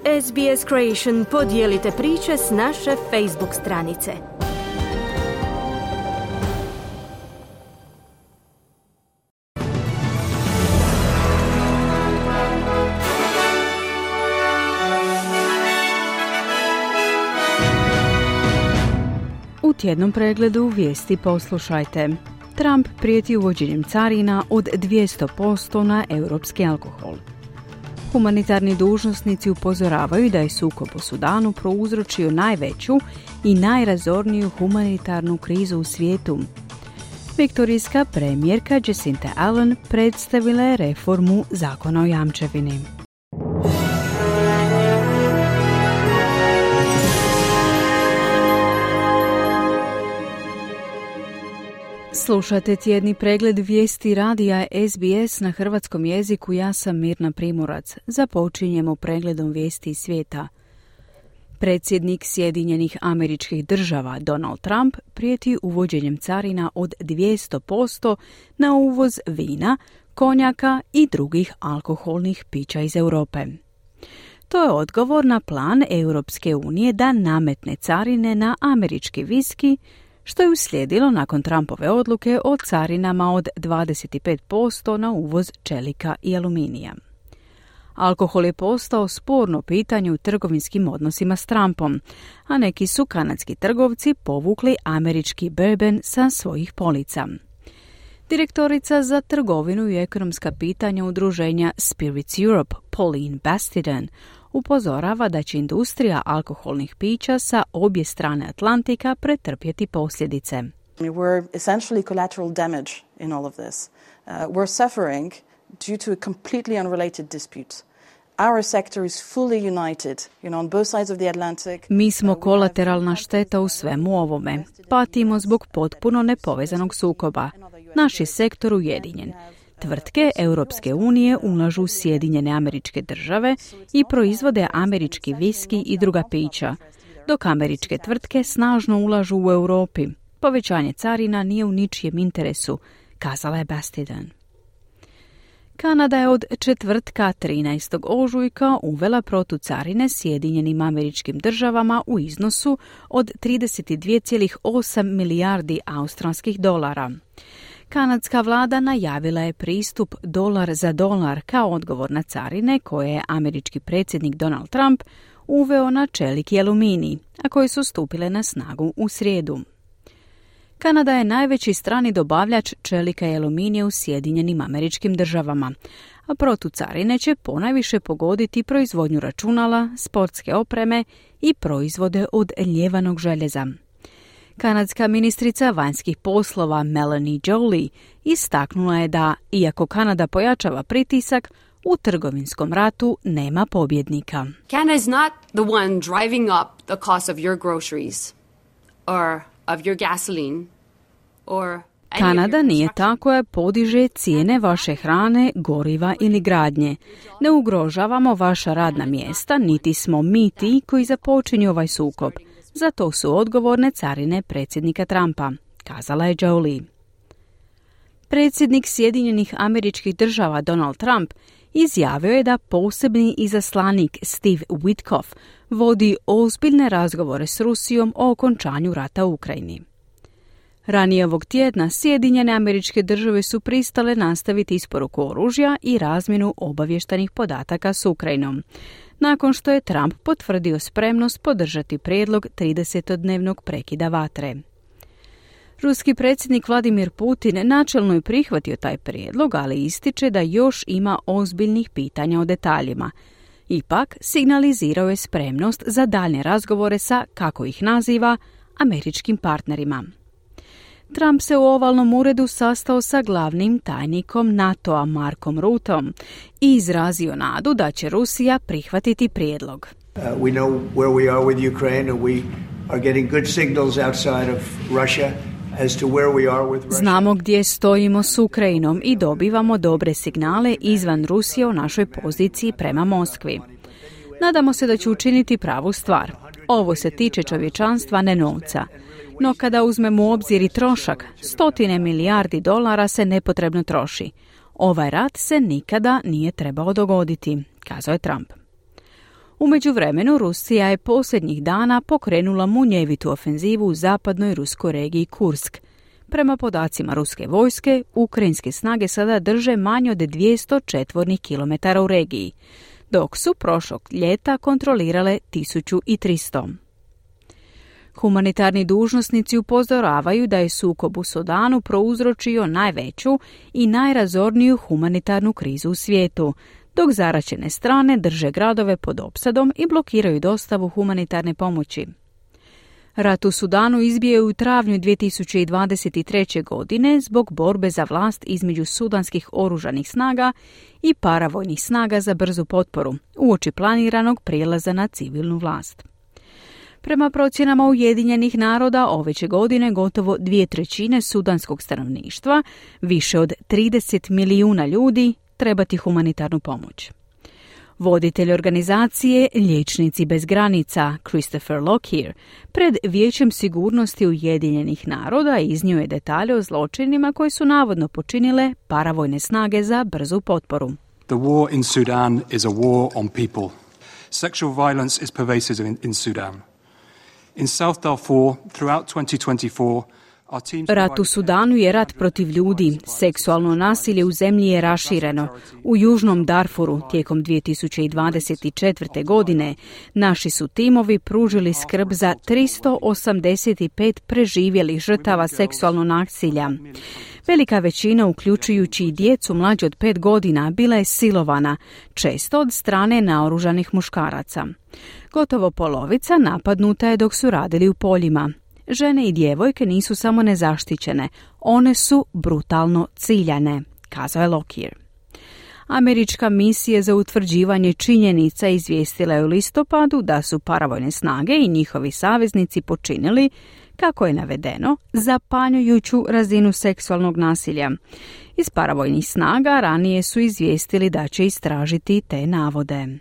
SBS Creation, podijelite priče s naše Facebook stranice. U tjednom pregledu vijesti poslušajte. Trump prijeti uvođenjem carina od 200% na europski alkohol. Humanitarni dužnosnici upozoravaju da je sukob u Sudanu prouzročio najveću i najrazorniju humanitarnu krizu u svijetu. Viktorijska premijerka Jacinta Allen predstavila je reformu zakona o jamčevini. Slušate tjedni pregled vijesti radija SBS na hrvatskom jeziku. Ja sam Mirna Primorac. Započinjemo pregledom vijesti svijeta. Predsjednik Sjedinjenih Američkih Država Donald Trump prijeti uvođenjem carina od 200% na uvoz vina, konjaka i drugih alkoholnih pića iz Europe. To je odgovor na plan Europske unije da nametne carine na američki viski, što je uslijedilo nakon Trumpove odluke o carinama od 25% na uvoz čelika i aluminija. Alkohol je postao sporno pitanje u trgovinskim odnosima s Trumpom, a neki su kanadski trgovci povukli američki bourbon sa svojih polica. Direktorica za trgovinu i ekonomska pitanja udruženja Spirits Europe, Pauline Bastiden, upozorava da će industrija alkoholnih pića sa obje strane Atlantika pretrpjeti posljedice. We're essentially collateral damage in all of this. We're suffering due to a completely unrelated dispute. Our sector is fully united, on both sides of the Atlantic. Mi smo kolateralna šteta u svemu ovome. Patimo zbog potpuno nepovezanog sukoba. Naš je sektor ujedinjen. Tvrtke Europske unije ulažu u Sjedinjene Američke Države i proizvode američki viski i druga pića, dok američke tvrtke snažno ulažu u Europi. Povećanje carina nije u ničijem interesu, kazala je Bastiden. Kanada je od četvrtka 13. ožujka uvela protucarine Sjedinjenim Američkim Državama u iznosu od 32,8 milijardi australskih dolara. Kanadska vlada najavila je pristup dolar za dolar kao odgovor na carine koje je američki predsjednik Donald Trump uveo na čelik i aluminij, a koje su stupile na snagu u srijedu. Kanada je najveći strani dobavljač čelika i aluminija u Sjedinjenim Američkim Državama, a protucarine će ponajviše pogoditi proizvodnju računala, sportske opreme i proizvode od ljevanog željeza. Kanadska ministrica vanjskih poslova Melanie Joly istaknula je da, iako Kanada pojačava pritisak, u trgovinskom ratu nema pobjednika. Canada is not the one driving up the cost of your groceries or of your gasoline or Kanada nije ta koja podiže cijene vaše hrane, goriva ili gradnje. Ne ugrožavamo vaša radna mjesta, niti smo mi ti koji započinju ovaj sukob. Za to su odgovorne carine predsjednika Trumpa, kazala je Joly. Predsjednik Sjedinjenih Američkih Država Donald Trump izjavio je da posebni izaslanik Steve Witkoff vodi ozbiljne razgovore s Rusijom o okončanju rata u Ukrajini. Ranije ovog tjedna Sjedinjene Američke Države su pristale nastaviti isporuku oružja i razmjenu obavještajnih podataka s Ukrajinom, nakon što je Trump potvrdio spremnost podržati prijedlog 30-dnevnog prekida vatre. Ruski predsjednik Vladimir Putin načelno je prihvatio taj prijedlog, ali ističe da još ima ozbiljnih pitanja o detaljima. Ipak, signalizirao je spremnost za daljnje razgovore sa, kako ih naziva, američkim partnerima. Trump se u ovalnom uredu sastao sa glavnim tajnikom NATO-a Markom Rutteom i izrazio nadu da će Rusija prihvatiti prijedlog. We know where we are with Ukraine and we are getting good signals outside of Russia as to where we are with Russia. Znamo gdje stojimo s Ukrajinom i dobivamo dobre signale izvan Rusije o našoj poziciji prema Moskvi. Nadamo se da će učiniti pravu stvar. Ovo se tiče čovječanstva, ne novca. No kada uzmemo u obzir i trošak, $100 milijardi se nepotrebno troši. Ovaj rat se nikada nije trebao dogoditi, kazao je Trump. U međuvremenu Rusija je posljednjih dana pokrenula munjevitu ofenzivu u zapadnoj ruskoj regiji Kursk. Prema podacima ruske vojske, ukrajinske snage sada drže manje od 200 četvornih kilometara u regiji, dok su prošlog ljeta kontrolirale 1300. Humanitarni dužnosnici upozoravaju da je sukob u Sudanu prouzročio najveću i najrazorniju humanitarnu krizu u svijetu, dok zaraćene strane drže gradove pod opsadom i blokiraju dostavu humanitarne pomoći. Rat u Sudanu izbio je u travnju 2023. godine zbog borbe za vlast između sudanskih oružanih snaga i paravojnih snaga za brzu potporu, uoči planiranog prijelaza na civilnu vlast. Prema procjenama Ujedinjenih naroda, ove će godine gotovo 2/3 sudanskog stanovništva, više od 30 milijuna ljudi, trebati humanitarnu pomoć. Voditelj organizacije Liječnici bez granica, Christopher Lockyer, pred Vijećem sigurnosti Ujedinjenih naroda iznio je detalje o zločinima koji su navodno počinile paravojne snage za brzu potporu. The war in Sudan is a war on people. Sexual violence is pervasive in Sudan. In South Darfur, throughout 2024, rat u Sudanu je rat protiv ljudi. Seksualno nasilje u zemlji je rašireno. U Južnom Darfuru tijekom 2024. godine naši su timovi pružili skrb za 385 preživjelih žrtava seksualnog nasilja. Velika većina, uključujući i djecu mlađe od 5 godina, bila je silovana, često od strane naoružanih muškaraca. Gotovo polovica napadnuta je dok su radili u poljima. Žene i djevojke nisu samo nezaštićene, one su brutalno ciljane, kazao je Lockyer. Američka misija za utvrđivanje činjenica izvijestila je u listopadu da su paravojne snage i njihovi saveznici počinili, kako je navedeno, zapanjujuću razinu seksualnog nasilja. Iz paravojnih snaga ranije su izvijestili da će istražiti te navode.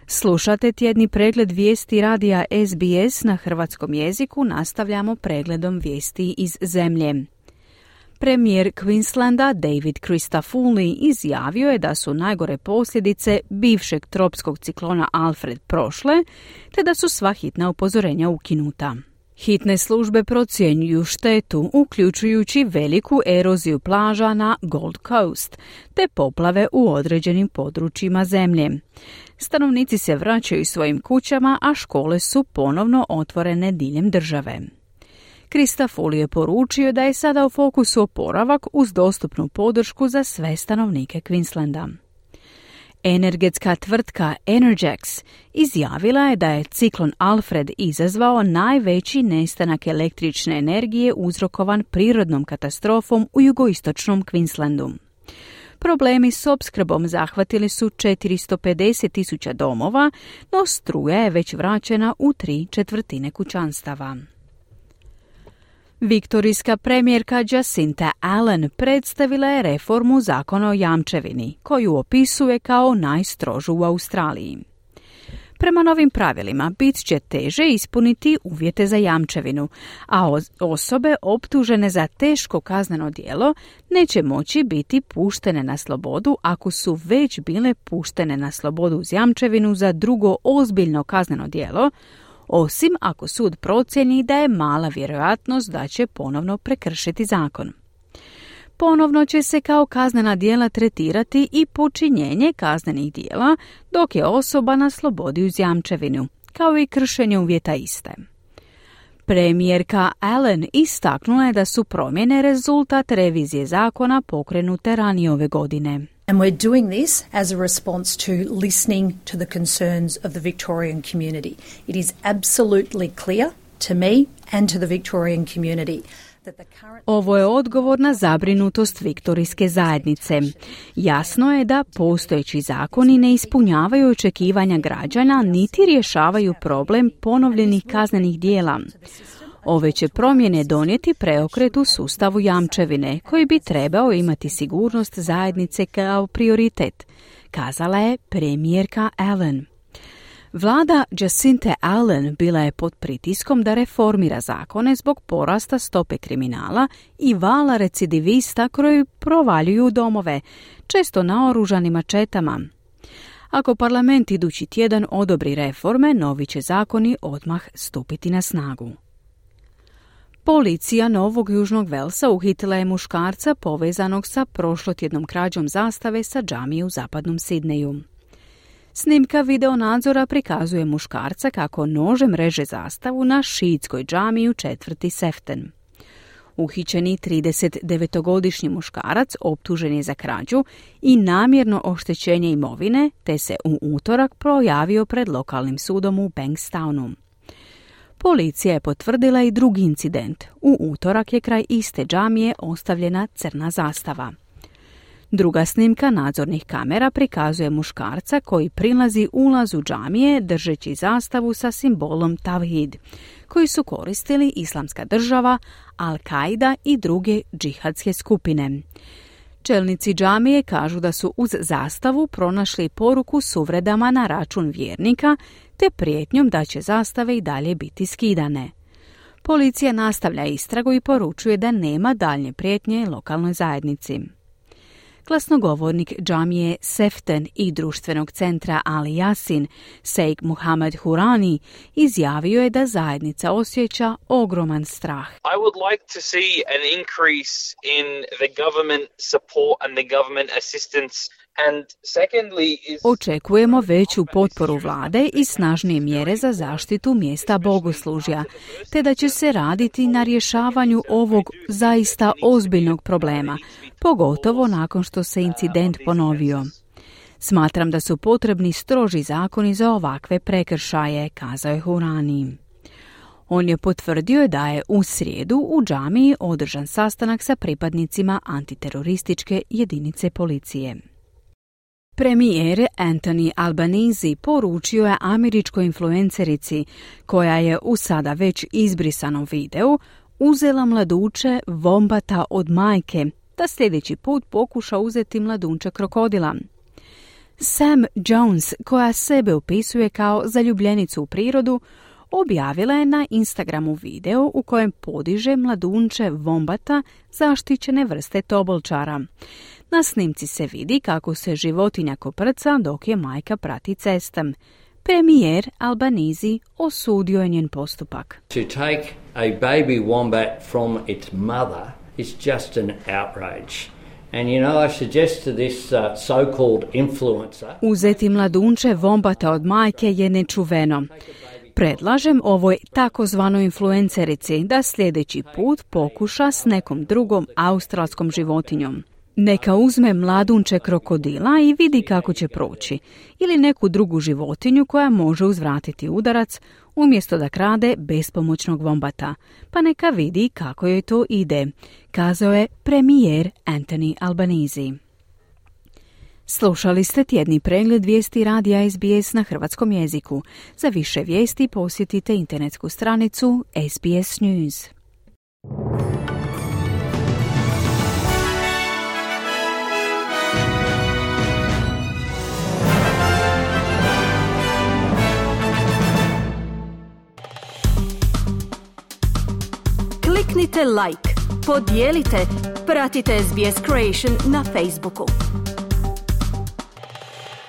Slušate tjedni pregled vijesti radija SBS na hrvatskom jeziku, nastavljamo pregledom vijesti iz zemlje. Premijer Queenslanda David Christodoulou izjavio je da su najgore posljedice bivšeg tropskog ciklona Alfred prošle, te da su sva hitna upozorenja ukinuta. Hitne službe procjenjuju štetu, uključujući veliku eroziju plaža na Gold Coast, te poplave u određenim područjima zemlje. Stanovnici se vraćaju svojim kućama, a škole su ponovno otvorene diljem države. Christodoulou je poručio da je sada u fokusu oporavak uz dostupnu podršku za sve stanovnike Queenslanda. Energetska tvrtka Energex izjavila je da je ciklon Alfred izazvao najveći nestanak električne energije uzrokovan prirodnom katastrofom u jugoistočnom Queenslandu. Problemi s opskrbom zahvatili su 450.000 domova, no struja je već vraćena u 3/4 kućanstava. Viktorijska premijerka Jacinta Allen predstavila je reformu zakona o jamčevini, koju opisuje kao najstrožu u Australiji. Prema novim pravilima bit će teže ispuniti uvjete za jamčevinu, a osobe optužene za teško kazneno djelo neće moći biti puštene na slobodu ako su već bile puštene na slobodu uz jamčevinu za drugo ozbiljno kazneno djelo, osim ako sud procijeni da je mala vjerojatnost da će ponovno prekršiti zakon. Ponovno će se kao kaznena djela tretirati i počinjenje kaznenih djela dok je osoba na slobodi uz jamčevinu, kao i kršenje uvjeta iste. Premijerka Allen istaknula je da su promjene rezultat revizije zakona pokrenute ranije ove godine. And we're doing this as a response to listening to the concerns of the Victorian community. It is absolutely clear to me and to the Victorian community. Ovo je odgovor na zabrinutost viktorijske zajednice. Jasno je da postojeći zakoni ne ispunjavaju očekivanja građana niti rješavaju problem ponovljenih kaznenih djela. Ove će promjene donijeti preokret u sustavu jamčevine, koji bi trebao imati sigurnost zajednice kao prioritet, kazala je premijerka Allen. Vlada Jacinta Allen bila je pod pritiskom da reformira zakone zbog porasta stope kriminala i vala recidivista koji provaljuju domove, često naoružanim mačetama. Ako parlament idući tjedan odobri reforme, novi će zakoni odmah stupiti na snagu. Policija Novog Južnog Velsa uhitila je muškarca povezanog sa prošlotjednom krađom zastave sa džamije u zapadnom Sidneju. Snimka videonadzora prikazuje muškarca kako nožem reže zastavu na šiitskoj džamiji u četvrti Seften. Uhićeni 39-godišnji muškarac optužen je za krađu i namjerno oštećenje imovine, te se u utorak projavio pred lokalnim sudom u Bankstownu. Policija je potvrdila i drugi incident. U utorak je kraj iste džamije ostavljena crna zastava. Druga snimka nadzornih kamera prikazuje muškarca koji prilazi ulazu džamije držeći zastavu sa simbolom Tavhid, koji su koristili Islamska država, Al-Qaida i druge džihadske skupine. Čelnici džamije kažu da su uz zastavu pronašli poruku s uvredama na račun vjernika te prijetnjom da će zastave i dalje biti skidane. Policija nastavlja istragu i poručuje da nema daljnje prijetnje lokalnoj zajednici. Glasnogovornik džamije Seften i društvenog centra Ali Yasin, Sheikh Muhammad Hurani, izjavio je da zajednica osjeća ogroman strah. I would like to see an increase in the government support and the government assistance. Očekujemo veću potporu vlade i snažnije mjere za zaštitu mjesta bogoslužja, te da će se raditi na rješavanju ovog zaista ozbiljnog problema, pogotovo nakon što se incident ponovio. Smatram da su potrebni stroži zakoni za ovakve prekršaje, kazao je Hurani. On je potvrdio da je u srijedu u džamiji održan sastanak sa pripadnicima antiterorističke jedinice policije. Premijer Anthony Albanese poručio je američkoj influencerici, koja je u sada već izbrisanom videu uzela mladuče vombata od majke, da sljedeći put pokuša uzeti mladunče krokodila. Sam Jones, koja sebe opisuje kao zaljubljenicu u prirodu, objavila je na Instagramu video u kojem podiže mladunče vombata zaštićene vrste tobolčara. Na snimci se vidi kako se životinja koprca dok je majka prati cestom. Premijer Albanese osudio je njen postupak. To take a baby wombat from its mother is just an outrage. And you know, I suggest to this so-called influencer... Uzeti mladunče vombata od majke je nečuveno. Predlažem ovoj takozvanoj influencerici da sljedeći put pokuša s nekom drugom australskom životinjom. Neka uzme mladunče krokodila i vidi kako će proći, ili neku drugu životinju koja može uzvratiti udarac umjesto da krade bespomoćnog vombata, pa neka vidi kako joj to ide, kazao je premijer Anthony Albanese. Slušali ste tjedni pregled vijesti radija SBS na hrvatskom jeziku. Za više vijesti posjetite internetsku stranicu SBS News. Kliknite like, podijelite, pratite SBS Creation na Facebooku.